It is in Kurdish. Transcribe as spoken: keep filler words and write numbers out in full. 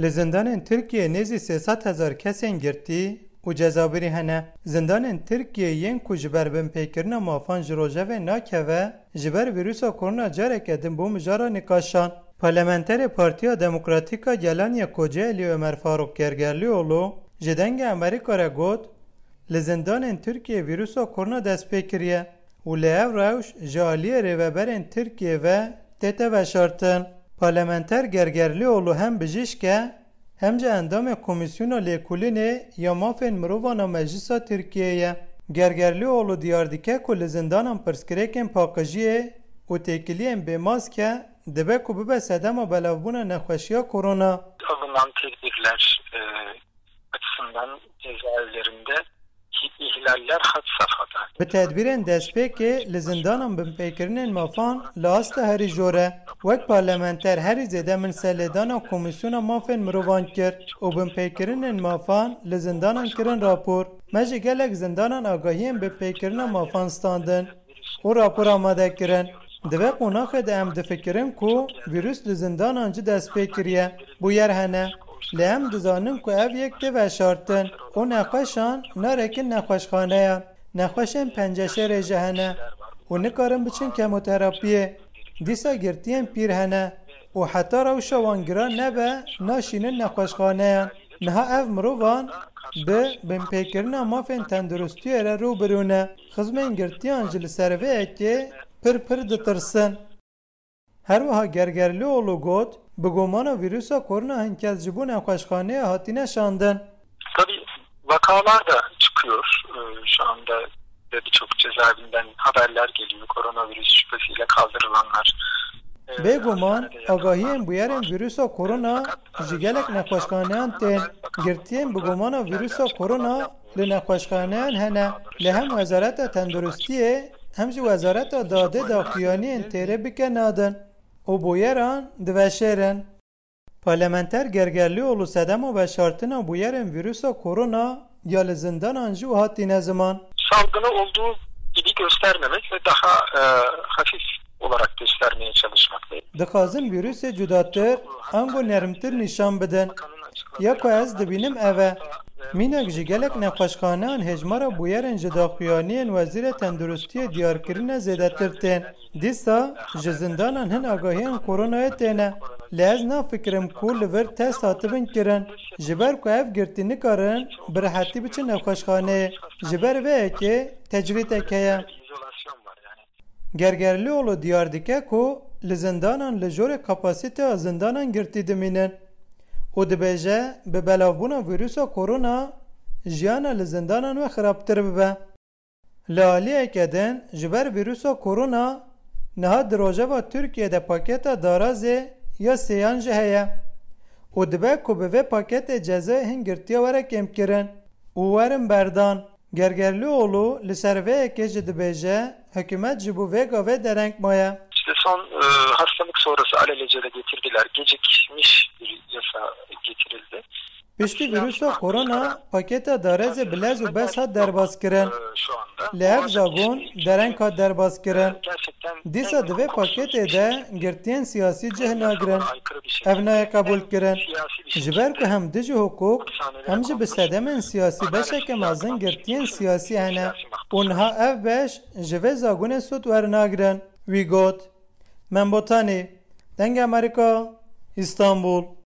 Li zindanên Tirkiyeyê nêzî sê sed hezar kesên girtî û cezabirî hene. Zindanên Tirkiyeyê yên ku ji ber binpêkirina mafan ji rojevê nakeve, ji ber vîrusa korona careke din bû mijara nîqaşan. Parlamenterê Partiya Demokratîk a Gelan yê Kocaelî Ömer Faruk Gergerlioğlu ji Dengê Amerîka re got, li zindanên Tirkiyeyê vîrusa korona dest pê kiriye û li ev rewş ji aliyê rêveberên Tirkiyeyê ve tête veşartin. Parlamenter Gergerlioğlu hem bijîşk e, hem jî endamê Komîsyona Lêkolînê ya Mafên Mirovan a Meclisa Tirkiyeyê ye. Gergerlioğlu diyar dike ku li zindanan pirsgirêkên paqijiyê û têkiliyên bêmask e, dibe ku bibe sedema belavbûna nexweşiya korona. Alınan tedbirler e, açısından cezaevlerinde ihlaller had safhada. Bi tedbîrên destpêkê li zindanan binpêkirinên mafan li asta herî jor e. Wek parlamenter herî zêde min serlêdana Komîsyona Mafên Mirovan kir û binpêkirinên mafan li zindanan kirin rapor. Me ji gelek zindanan agahiyên binpêkirina mafan standin û rapor amade kirin. Di vê qonaxê de em difikirin ku vîrus li zindanan jî dest pê kiriye. Bûyer hene. Lê em dizanin ku ev yek tê veşartin û nexweşan narekin nexweşxaneyan. Nexweşên penceşêrê jî hene û nikarin biçin kemoterapiyê. Dîsa girtiyên pîr hene û heta rewşa wan giran nebe, naşînin nexweşxaneyan. Niha ev mirovan bi binpêkirina mafên tenduristiyê re rû bi rû ne. Xizmên girtiyan jî li ser vê yekê pir pir ditirsin. Her wiha Gergerlioğlu got, bi gomana vîrusa korona hin kes ji bo nexweşxaneyê hatine şandin. Tabii vakalar da çıkıyor. Ee, Şu anda ve birçok cezaevinden haberler geliyor. Koronavirüs şüphesiyle kaldırılanlar. Ee, Bêguman, agahiyên bûyerên vîrusa korona ji gelek nexweşxaneyan tên. Girtiyên bi gomana vîrusa korona li nexweşxaneyan hene. Lê hem Wezareta Tenduristiyê hem jî Wezareta Dadê daxuyaniyên têrê bike nadin û bûyeran diveşêrin. Parlamenter Gergerlioğlu sedema veşartina bûyerên vîrusa korona ya li zindanan jî wiha tîne ziman. Salgını olduğu gibi göstermemek ve daha e, hafif olarak göstermeye çalışmak. Dixwazin vîrusê cudatir, ango nermtir nîşan bidin. Ya ku ez dibînim ev e. Mînak ji gelek nexweşxaneyan hêjmara bûyerên ji daxuyaniyên Wezîrê Tenduristiyê diyarkirine zêdetir tên. Dîsa ji zindanan hin agahiyên koronayê têne. Lê ez nafikirim ku li vir test hatibin kirin. Ji ber ku ev girtî nikarin bi rehetî biçin nexweşxaneyê. Ji ber vê yekê tecrîdek heye. Gergerlioğlu diyar dike ku li zindanan li jorê kapasiteya zindanan girtî dimînin û dibêje, bi belavbûna vîrusa korona jiyana li zindanan wê xirabtir bibe. Li aliyeke din, ji ber vîrusa korona niha di rojeva Tirkiyê de paketa darazê ya sêyan jî heye û dibe ku bi vê paketê cezayê hin girtiya were kêmkirin û werin berdan. Gergerlioğlu li ser vê yekê jî dibêje, hikûmet ji bo vê gavê dereng maye. İşte son e, hastalık sonrası alelacele getirdiler. Gecikmiş bir yasa getirildi. Piştî vîrusa korona, paketa darezê bi lez û bez hat derbas kirin. Lê ev zagon dereng hat derbas kirin. Dîsa di vê paketê de girtiyên siyasî cih nagirin. Ev nayê qebûl kirin. Ji ber ku hem dijî hukuk, hem jî bi sedemên siyasî beşeke mezin girtiyên siyasî hene û niha ev beş ji vê zagonê sûd wernagirin. Wî got, Membotanî, Dengê Amerîka, Îstanbul.